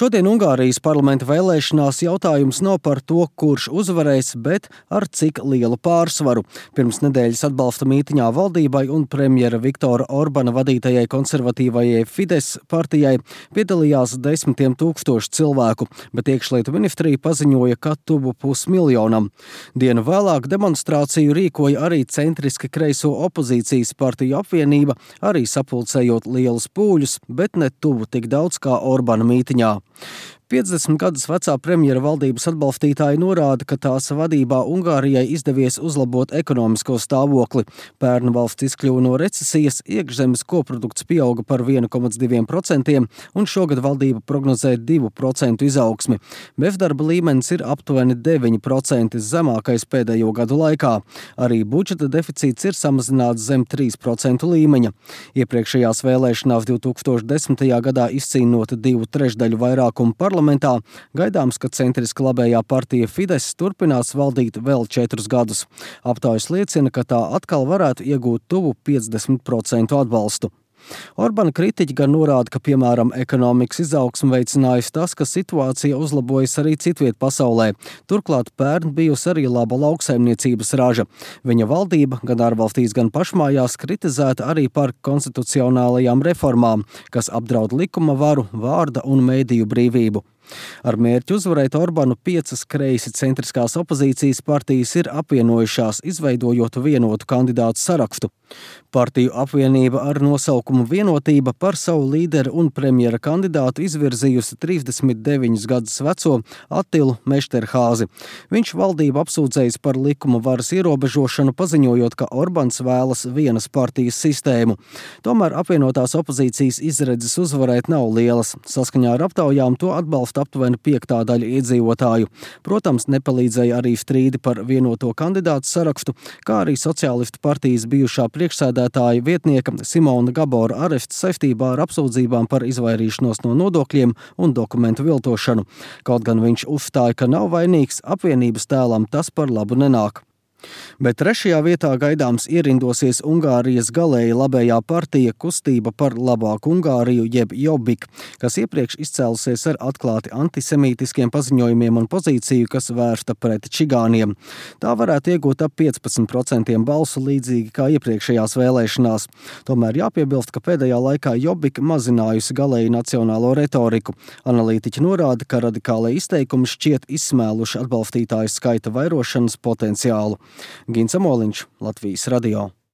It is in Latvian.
Šodien Ungārijas parlamenta vēlēšanās jautājums nav par to, kurš uzvarēs, bet ar cik lielu pārsvaru. Pirms nedēļas atbalsta mītiņā valdībai un premjera Viktora Orbana vadītajai konservatīvajai Fidesz partijai piedalījās 10 000 cilvēku, bet iekšlietu ministrija paziņoja, ka tuvu 500 000. Dienu vēlāk demonstrāciju rīkoja arī centriski kreiso opozīcijas partiju apvienība, arī sapulcējot lielus pūļus, bet ne tuvu tik daudz kā Orbana mītiņā. 50 gadus vecā premjera valdības atbalstītāji norāda, ka tās vadībā Ungārijai izdevies uzlabot ekonomisko stāvokli. Pērn valsts izkļuva no recesijas, iekšzemes koprodukts pieauga par 1,2% un šogad valdība prognozē 2% izaugsmi. Bezdarba līmenis ir aptuveni 9%, zemākais pēdējo gadu laikā. Arī budžeta deficīts ir samazināts zem 3% līmeņa. Iepriekšējās vēlēšanās 2010. gadā izcīnota 2/3 vairākumu parlamentā, gaidāms, ka centriski labējā partija Fidesz turpinās valdīt vēl 4 gadus. Aptaujas liecina, ka tā atkal varētu iegūt tuvu 50% atbalstu. Orbana kritiķi gan norāda, ka, piemēram, ekonomikas izaugsmu veicinājusi tas, ka situācija uzlabojas arī citviet pasaulē. Turklāt pērn bijusi arī laba lauksaimniecības raža. Viņa valdība gan ārvalstīs, gan pašmājās kritizēta arī par konstitucionālajām reformām, kas apdraud likuma varu, vārda un mediju brīvību. Ar mērķi uzvarēt Orbanu 5 kreisi centriskās opozīcijas partijas ir apvienojušās, izveidojot vienotu kandidātu sarakstu. Partiju apvienība ar nosaukumu Vienotība par savu līderi un premjera kandidātu izvirzījusi 39 gadus veco Attilu Mešterhāzi. Viņš valdību apsūdzējis par likuma varas ierobežošanu, paziņojot, ka Orbans vēlas vienas partijas sistēmu. Tomēr apvienotās opozīcijas izredzes uzvarēt nav lielas. Saskaņā ar aptaujām to atbalsta aptuveni 5. daļa iedzīvotāju. Protams, nepalīdzēja arī strīdi par vienoto kandidātu sarakstu, kā arī sociālistu partijas bijušā priekšsēdētāja vietnieka Simona Gabora arests saistībā ar apsūdzībām par izvairīšanos no nodokļiem un dokumentu viltošanu. Kaut gan viņš uzstāja, ka nav vainīgs, apvienības tēlam tas par labu nenāk. Bet 3. vietā gaidāms ierindosies Ungārijas galēji labējā partija Kustība par labāku Ungāriju jeb Jobbik, kas iepriekš izcēlusies ar atklāti antisemītiskiem paziņojumiem un pozīciju, kas vērsta pret čigāniem. Tā varētu iegūt ap 15% balsu līdzīgi kā iepriekšējās vēlēšanās. Tomēr jāpiebilst, ka pēdējā laikā Jobbik mazinājusi galēji nacionālo retoriku. Analītiķi norāda, ka radikālai izteikumi šķiet izsmēluši atbalstītāju skaita vairošanas potenciālu. Gins Amoliņš, Latvijas radio.